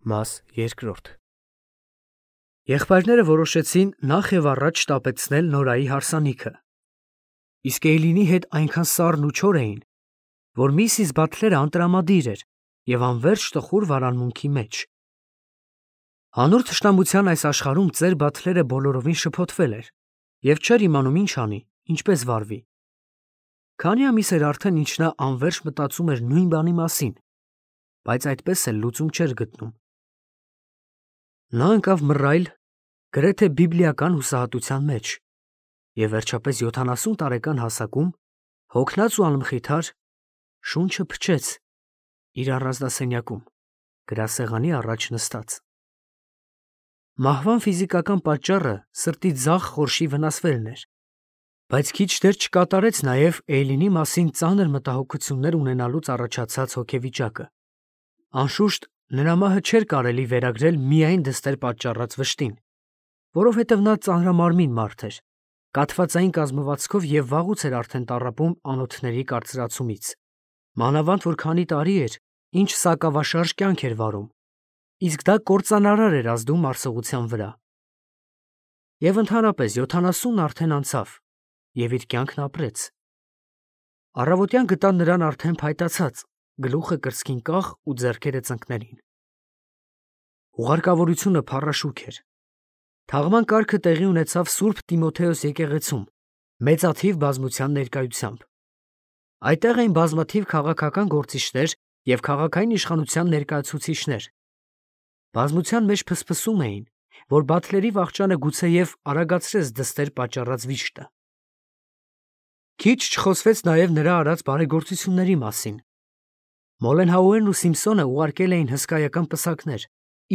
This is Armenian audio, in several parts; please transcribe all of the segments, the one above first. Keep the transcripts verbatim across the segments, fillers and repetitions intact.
Մաս երկրորդ Եղբայրները որոշեցին նախ և առաջ շտապեցնել Նորայի հարսանիքը, իսկ Էյլինի հետ այնքան սառն ու չոր էին, որ միսիս Բաթլերը անտրամադիր էր և անվերջ տխուր վարանմունքի մեջ։ Հանուն թշնամության այս աշխարհում ծեր Բաթլերը բոլորովին շփոթվել էր և չէր իմանում ինչ անի, ինչպես վարվի։ Քանի ամիս էր արդեն, ինչ նա անվերջ մտածում էր նույն բանի մասին, բայց այդպես էլ լուծում չէր գտնում։ Նա ընկավ մռայլ, գրեթե բիբլիական հուսահատության մեջ և վերջապես յոթանասուն տարեկան հասակում, հոգնած ու անմխիթար, շունչը փչեց իր առանձնասենյակում, գրասեղանի առաջ նստած։ Մահվան ֆիզիկական պատճառը սրտի ձախ խորշի վնասվելն էր, բայց քիչ դեռ չկատարեց նաև Էյլինի մասին ծանր մտահոգություններ ունենալուց առաջացած հոգեվիճակը։ Անշուշտ, նրա մահը չէր կարելի վերագրել միայն դստեր պատճառած վշտին, որովհետև նա ծանրամարմին մարդ էր, կաթվածային կազմվածքով և վաղուց էր արդեն տառապում անոթների կարծրացումից, մանավանդ որ քանի տարի էր, ինչ սակավաշարժ կյանք էր վարում, իսկ դա կործանարար էր ազդում մարսողության վրա։ Եվ ընդհանրապես յոթանասունն արդեն անցավ, և իր կյանքն ապրեց։ Առավոտյան գտան նրան արդեն փայտացած, գլուխը կրծքին կախ ու ձեռքերը ծնկներին։ Ուղարկավորությունը փառաշուք էր։ Թաղման կարգը տեղի ունեցավ Սուրբ Տիմոթեոս եկեղեցում, մեծաթիվ բազմության ներկայությամբ։ Այդտեղ էին բազմաթիվ քաղաքական գործիչներ և քաղաքային իշխանության ներկայացուցիչներ։ Բազմության մեջ փսփսում էին, որ Բաթլերի վախճանը գուցեև արագացրեց դստեր պատճառած վիշտը։ Քիչ չխոսվեց նաև նրա արած բարեգործությունների մասին։ Մոլենհաուերն ու Սիմփսոնը ուղարկել էին հսկայական պսակներ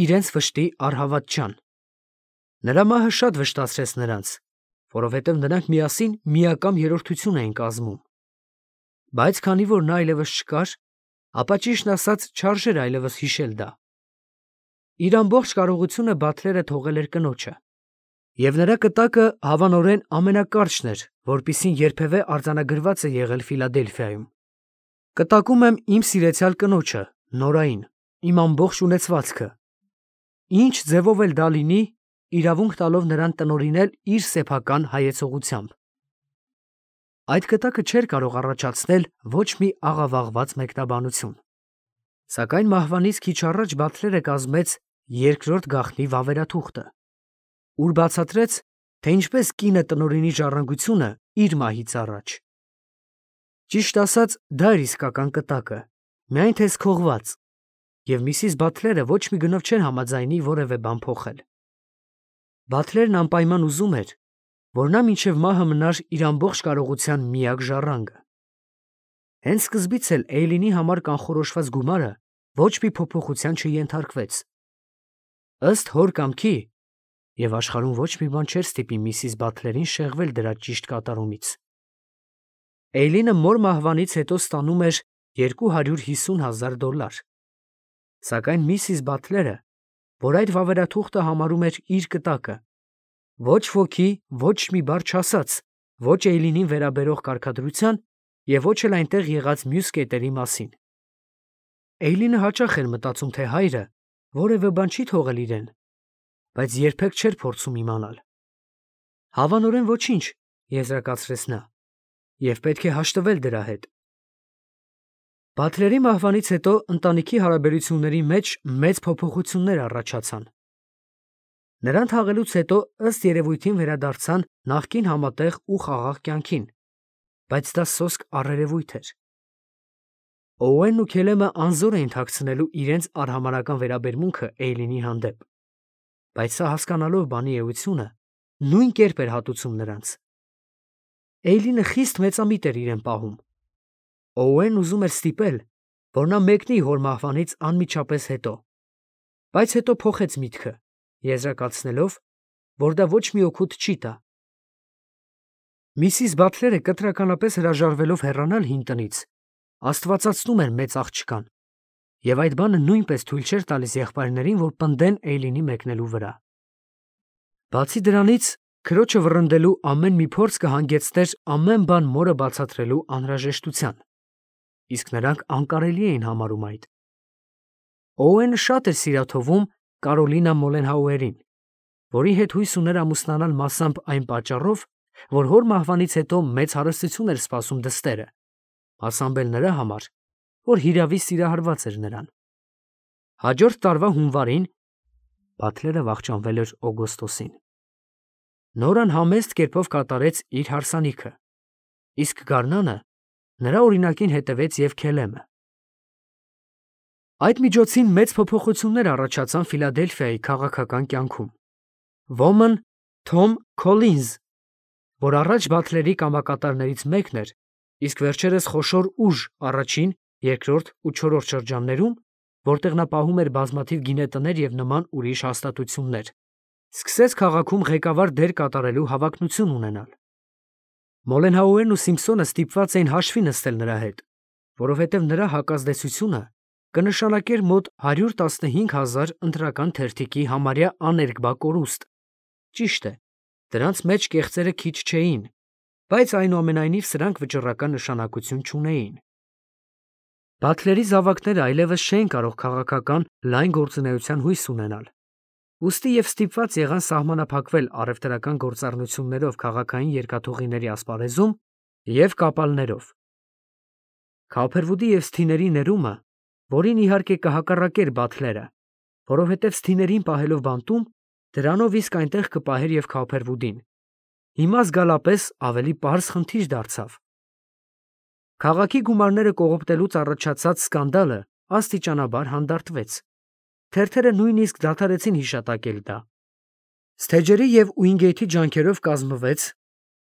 իրենց վշտի առհավատչան։ Նրա մահը շատ վշտացրեց նրանց, որովհետև նրանք միասին միակամ երրորդություն էին կազմում։ Բայց քանի որ նա այլևս չկար, ապա ճիշտն ասած չարժեր այլևս հիշել դա։ Իր ամբողջ կարողությունը Բաթլերը թողել էր կնոջը, և նրա կտակը հավանորեն ամենակարճն էր, որպիսին երբևէ արձանագրված է եղել Ֆիլադելֆիայում։ Կտակում եմ իմ սիրեցյալ կնոջը, Նորային, իմ ամբողջ ունեցվածքը, ինչ ձևով էլ դա լինի, իրավունք տալով նրան տնօրինել իր սեփական հայեցողությամբ։ Այդ կտակը չէր կարող առաջացնել ոչ մի աղավաղված մեկնաբանություն։ Սակայն մահվանից քիչ առաջ Բաթլերը կազմեց երկրորդ գաղտնի վավերաթուղթը, ուր բացատրեց, թե ինչպես կինը տնօրինի ժառանգությունը իր մահից առաջ։ Ճիշտ ասած, դա էր իսկական կտակը, միայն թե սքողված, և միսիս Բաթլերը ոչ մի գնով չէր համաձայնի որևէ բան փոխել։ Բաթլերն անպայման ուզում էր, որ նա մինչև մահը մնար իր ամբողջ կարողության միակ ժառանգը։ Հենց սկզբից էլ Էյլինի համար կանխորոշված գումարը ոչ մի փոփոխության չենթարկվեց։ Ըստ հոր կամքի, և աշխարհում ոչ մի բան չէր ստիպի միսիս Բաթլերին շեղվել դրա ճիշտ կատարումից, Էյլինը մոր մահվանից հետո ստանում էր երկու հարյուր հիսուն հազար դոլար։ Սակայն միսիս Բաթլերը, որ այդ վավերաթուղթը համարում էր իր կտակը, ոչ ոքի ոչ մի բառ չասաց ոչ Էյլինին վերաբերող կարգադրության և ոչ էլ այնտեղ եղած մյուս կետերի մասին։ Էյլինը հաճախ էր մտածում, թե հայրը որևէ բան չի թողել իրեն, բայց երբեք չէր փորձում իմանալ։ Հավանորեն ոչինչ, եզրակացրեց նա, և պետք է հաշտվել դրա հետ։ Բաթլերի մահվանից հետո ընտանիքի հարաբերությունների մեջ մեծ փոփոխություններ առաջացան։ Նրան թաղելուց հետո ըստ երևույթին վերադարձան նախկին համատեղ ու խաղաղ կյանքին, բայց դա սոսկ առերևույթ էր։ Օուենն ու Քելեմը անզոր էին թաքցնելու իրենց արհամարհական վերաբերմունքը Էյլինի հանդեպ, բայց սա հասկանալով բանի էությունը, նույն կերպ էր հատուցում նրանց։ Էյլինը խիստ մեծամիտ էր իրեն պահում։ Օուենն ուզում էր ստիպել, որ նա մեկնի հոր մահվանից անմիջապես հետո, բայց հետո փոխեց միտքը, եզրակացնելով, որ դա ոչ մի օգուտ չի տա։ Միսիս Բաթլերը կտրականապես հրաժարվելով հեռանալ հին տնից, աստվածացնում էր մեծ աղջկան, և այդ բանը նույնպես թույլ չէր տալիս եղբայրներին, որ պնդեն Էյլինի մեկնելու վրա։ Բացի դրանից, քրոջը վռնդելու ամեն մի փորձ կհանգեցներ ամեն բան մորը բացատրելու անհրաժեշտության, իսկ նրանք անկարելի էին համարում այդ։ Օուենը շատ էր սիրաթովում Կարոլինա Մոլենհաուերին, որի հետ հույս ուներ ամուսնանալ մասամբ այն պատճառով, որ հոր մահվանից հետո մեծ հարստություն էր սպասում դստերը, մասամբ էլ նրա համար, որ հիրավի սիրահարված էր նրան։ Հաջորդ տարվա հունվարին Բաթլերը վախճանվել էր օգոստոսին։ Նորան համեստ կերպով կատարեց իր հարսանիքը, իսկ գարնանը նրա օրինակին հետևեց և Քելեմը։ Այդ միջոցին մեծ փոփոխություններ առաջացան Ֆիլադելֆիայի քաղաքական կյանքում։ Ոմն Թոմ Քոլինզ, որ առաջ Բաթլերի կամակատարներից մեկն էր, իսկ վերջերս խոշոր ուժ առաջին, երկրորդ ու չորրորդ շրջաններում, որտեղ նա պահում էր բազմաթիվ գինետներ և նման ուրիշ հաստատություններ, սկսեց քաղաքում ղեկավար դեր կատարելու հավակնություն ունենալ։ Մոլենհաուերն ու Սիմփսոնը ստիպված էին հաշվի նստել նրա հետ, որովհետև նրա հակազդեցությունը կնշանակեր մոտ հարյուր տասնհինգ հազար ընտրական թերթիկի համարյա աներկբա կորուստ։ Ճիշտ է, դրանց մեջ կեղծերը քիչ չէին, բայց այնուամենայնիվ սրանք վճռական նշանակություն չունեին։ Բաթլերի զավակները այլևս չէին կարող քաղաքական լայն գործունեության հույս ունենալ, ուստի և ստիպված եղան սահմանափակվել առևտրական գործառնություններով քաղաքային երկաթուղիների ասպարեզում և կապալներով։ Քոփերվուդի և Սթիների ներումը, որին իհարկե կհակառակեր Բաթլերը, որովհետև Սթիներին պահելով բանտում, դրանով իսկ այնտեղ կպահեր և Քոփերվուդին, հիմա զգալապես ավելի պարզ խնդիր դարձավ։ Քաղաքի գումարները կողոպտելուց առաջացած սկանդալը աստիճանաբար հանդարտվեց։ Թերթերը նույնիսկ դադարեցին հիշատակել դա։ Սթեջերի և Ուինգեյթի ջանքերով կազմվեց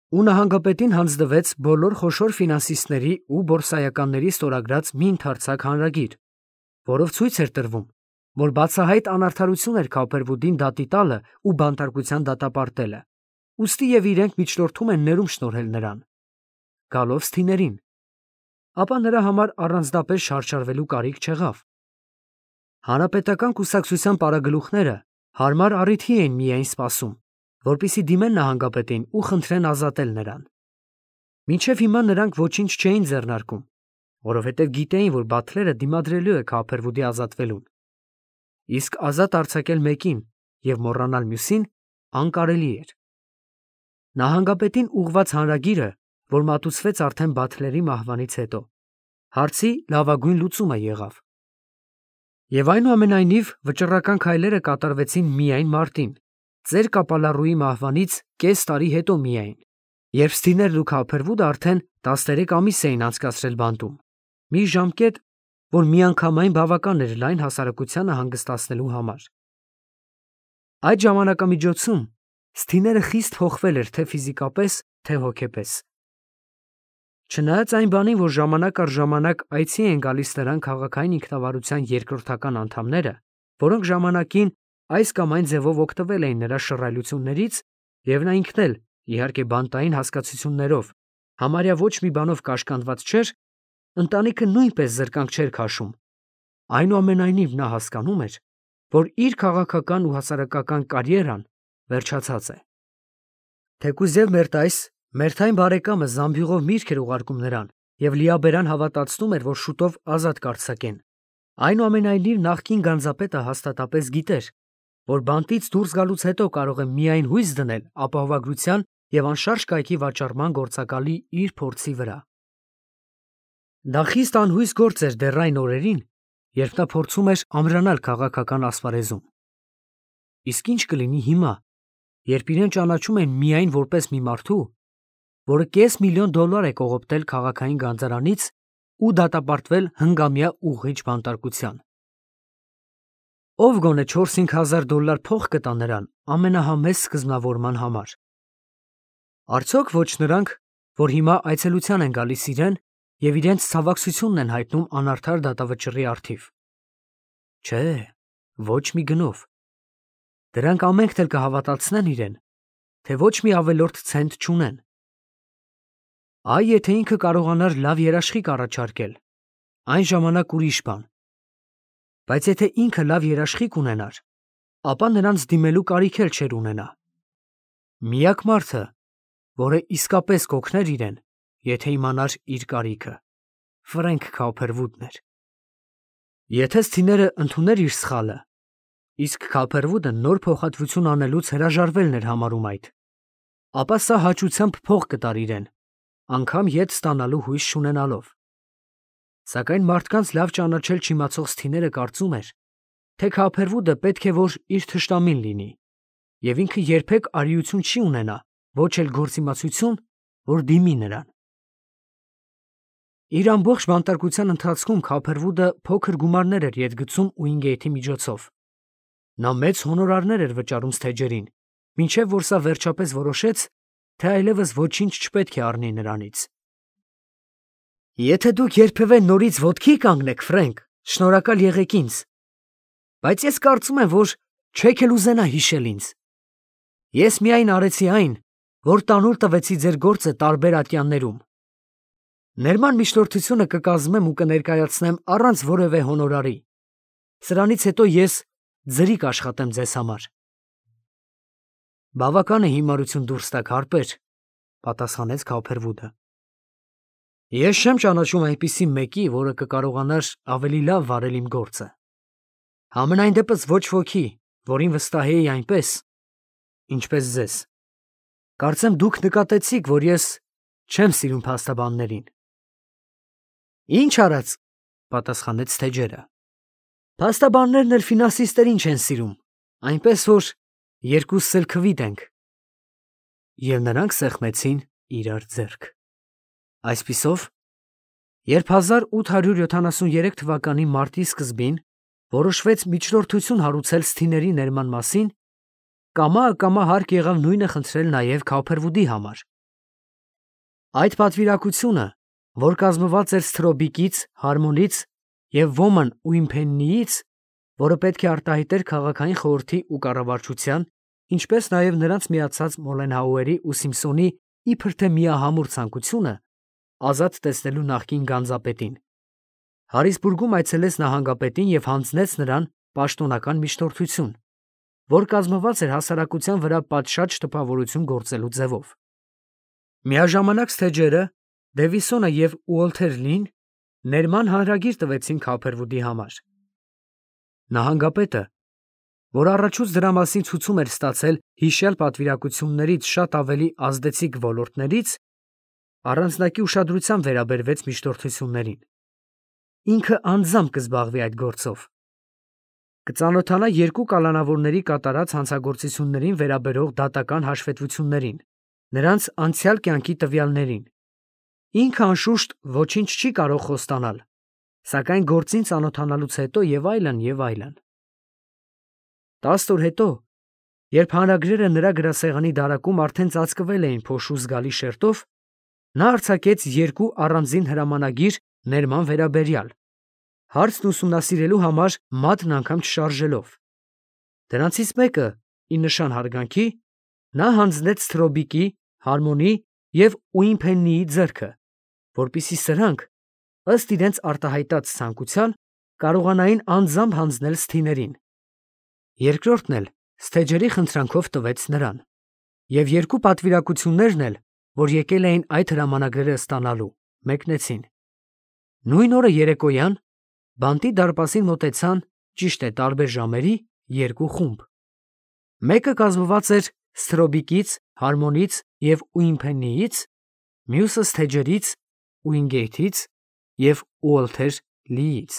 ու նահանգապետին հանձնվեց բոլոր խոշոր ֆինանսիստների ու բորսայականների ստորագրած մի ընդարձակ հանրագիր, որով ցույց էր տրվում, որ բացահայտ անարդարություն էր Քոփերվուդին դատի տալը ու բանտարկության դատապարտելը, ուստի և իրենք միջնորդում են ներում շնորհել նրան, գալով Սթիներին, ապա նրա համար առանձնապես շարժարվելու կարիք չեղավ։ Հանրապետական կուսակցության պարագլուխները հարմար առիթի էին միայն սպասում, որպեսզի դիմեն նահանգապետին ու խնդրեն ազատել նրան։ Մինչև հիմա նրանք ոչինչ չէին ձեռնարկում, որովհետև գիտեին, որ Բաթլերը դիմադրելու է Քոփերվուդի ազատվելուն, իսկ ազատ արձակել մեկին և մոռանալ մյուսին անկարելի էր։ Նահանգապետին ուղղված հանրագիրը, որ մատուցվեց արդեն Բաթլերի մահվանից հետո, հարցի լավագույն լուծումը եղավ։ Եվ այնուամենայնիվ վճռական քայլերը կատարվեցին միայն մարտին, ծեր կապալառուի մահվանից կես տարի հետո միայն, երբ Սթիներն ու Քոփերվուդը արդեն տասներեք ամիս էին անցկացրել բանտում, մի ժամկետ, որ միանգամայն բավական էր լայն հասարակությանը հանգստացնելու համար։ Այդ ժամանակամիջոցում Սթիները խիստ հոխվել էր թե ֆիզիկապես, թե հոգեպես։ Չնայած այն բանին, որ ժամանակ առ ժամանակ այցի են գալիս նրան քաղաքային ինքնավարության երկրորդական անդամները, որոնք ժամանակին այս կամ այն ձևով օգտվել էին նրա շռայլություններից, և նա ինքն էլ, իհարկե բանտային հասկացություններով, համարյա ոչ մի բանով կաշկանդված չէր, ընտանիքը նույնպես զրկանք չէր քաշում, այնուամենայնիվ նա հասկանում էր, որ իր քաղաքական ու հասարակական կարիերան վերջացած է։ Թեկուզ և Մերտայս, Մերթային բարեկամը զամբյուղով միրգ էր ուղարկում նրան և լիաբերան հավատացնում էր, որ շուտով ազատ կարձակեն, այնուամենայնիվ նախկին գանձապետը հաստատապես գիտեր, որ բանտից դուրս գալուց հետո կարող է միայն հույս դնել ապահովագրության և անշարժ կայքի վաճառման գործակալի իր փորձի վրա։ Դա խիստ անհույս գործ էր դեռ այն օրերին, երբ նա փորձում էր ամրանալ քաղաքական ասպարեզում։ Իսկ ինչ կլինի հիմա, երբ իրեն ճանաչում են միայն որպես մի մարդու, որը կես միլիոն դոլար է կողոպտել քաղաքային գանձարանից ու դատապարտվել հնգամյա ուղղիչ բանտարկության։ Ով գոնե չորս-հինգ հազար դոլար փող կտա նրան ամենահամեստ սկզբնավորման համար։ Արդյոք ոչ նրանք, որ հիմա այցելության են գալիս իրեն և իրենց ցավակցությունն են հայտնում անարդար դատավճռի առթիվ։ Չէ, ոչ մի գնով։ Դրանք ամենքն էլ կհավատացնեն իրեն, թե ոչ մի ավելորդ ցենտ չունեն։ Այ եթե ինքը կարողանար լավ երաշխիք առաջարկել, այն ժամանակ ուրիշ բան։ Բայց եթե ինքը լավ երաշխիք ունենար, ապա նրանց դիմելու կարիք էլ չէր ունենա։ Միակ մարդը, որը իսկապես կօգներ իրեն, եթե իմանար իր կարիքը, Ֆրենք Քոփերվուդն էր։ Եթե Սթիները ընդուներ իր սխալը, իսկ Քափերվուդը նոր փոխհատվություն անելուց հրաժարվելն էր համարում այդ, ապա սա հաճությամբ փող կտար իրեն, անգամ ետ ստանալու հույս չունենալով։ Սակայն մարդկանց լավ ճանաչել չիմացող Սթիները կարծում էր, թե Քափերվուդը պետք է որ իր թշնամին լինի, և ինքը երբեք արիություն չի ունենա, ոչ էլ գործիմացություն, որ դիմի նրան։ Իր ամբողջ բանտարկության ընթացքում Քափերվուդը փոքր գումարներ էր ետ գցում Ուինգեյթի միջոցով։ Նա մեծ հոնորարներ էր վճարում Սթեջերին, մինչև որ սա վերջապես որոշեց, թե այլևս ոչինչ չպետք է առնի նրանից։ Եթե դուք երբևէ նորից ոտքի կանգնեք, Ֆրենկ, շնորհակալ եղեք ինձ, բայց ես կարծում եմ, որ չեք էլ ուզենա հիշել ինձ։ Ես միայն արեցի այն, որ տանուլ տվեցի ձեր գործը տարբեր ատյաններում։ Ներման միջնորդությունը կկազմեմ ու կներկայացնեմ առանց որևէ հոնորարի։ Սրանից հետո ես ձրի կաշխատեմ ձեզ համար։ Բավական է հիմարություն դուրս տաք, հարբեր, պատասխանեց Քափերվուդը։ Ես չեմ ճանաչում այնպիսի մեկի, որը կկարողանար ավելի լավ վարել իմ գործը։ Համենայն դեպս ոչ ոքի, որին վստահեի այնպես, ինչպես ձեզ։ Կարծեմ դուք նկատեցիք, որ ես չեմ սիրում փաստաբաններին։ Ինչ արած, պատասխանեց Սթեջերը։ Փաստաբաններն էլ ֆինանսիստերին չեն սիրում, այնպես որ երկուսս էլ քվիտ ենք։ Եվ նրանք սեղմեցին իրար ձեռք։ Այսպիսով, երբ հազար ութ հարյուր յոթանասուներեք թվականի մարտի սկզբին որոշվեց միջնորդություն հարուցել Սթիների ներման մասին, կամա-ակամա հարկ եղավ նույնը խնդրել նաև Քափերվուդի համար։ Այդ պատվիրակությունը, որ կազմված էր Սթրոբիկից, Հարմոնից և Ոման Ուիմփեննիից, որը պետք է արտահայտեր քաղաքային խորհրդի ու կառավարչության, ինչպես նաև նրանց միացած Մոլենհաուերի ու Սիմփսոնի իբր թե միահամուռ ցանկությունը ազատ տեսնելու նախկին գանձապետին, Հարիսբուրգում այցելեց նահանգապետին և հանձնեց նրան պաշտոնական միջնորդություն, որ կազմված էր հասարակության վրա պատշաճ տպավորություն գործելու ձևով։ Միաժամանակ Սթեջերը, Դևիսոնը և Ուոլթեր Լին ներման հանրագիր տվեցին Քափերվուդի համար։ Նահանգապետը, որ առաջուց դրա մասին ցուցում էր ստացել հիշյալ պատվիրակություններից շատ ավելի ազդեցիկ ոլորտներից, առանձնակի ուշադրությամբ վերաբերվեց միջնորդություններին։ Ինքը անձամբ կզբաղվի այդ գործով։ Կծանոթանա երկու կալանավորների կատարած հանցագործություններին վերաբերող դատական հաշվետվություններին, նրանց անցյալ կյանքի տվյալներին։ Ինքը անշուշտ ոչինչ չի կարող խոստանալ, սակայն գործին ծանոթանալուց հետո և այլն, և այլն։ Տասը օր հետո, երբ հանրագրերը նրա գրասեղանի դարակում արդեն ծածկվել էին փոշու զգալի շերտով, նա արձակեց երկու առանձին հրամանագիր ներման վերաբերյալ, հարցն ուսումնասիրելու համար մատն անգամ չշարժելով։ Դրանցից մեկը, ի նշան հարգանքի, նա հանձնեց Սթրոբիկի, Հարմոնի և Ուիմփեննիի ձեռքը, որպեսզի սրանք, ըստ իրենց արտահայտած ցանկության, կարողանային անձամբ հանձնել Սթիներին։ Երկրորդն էլ Սթեջերի խնդրանքով տվեց նրան։ Եվ երկու պատվիրակություններն էլ, որ եկել էին այդ հրամանագրերը ստանալու, մեկնեցին։ Նույն օրը երեկոյան բանտի դարպասին մոտեցան, ճիշտ է տարբեր ժամերի, երկու խումբ։ Մեկը կազմված էր Սթրոբիկից, Հարմոնից և Ուիմփեննիից, մյուսը Սթեջերից, Ուինգեյթից և Ուոլթեր Լիից։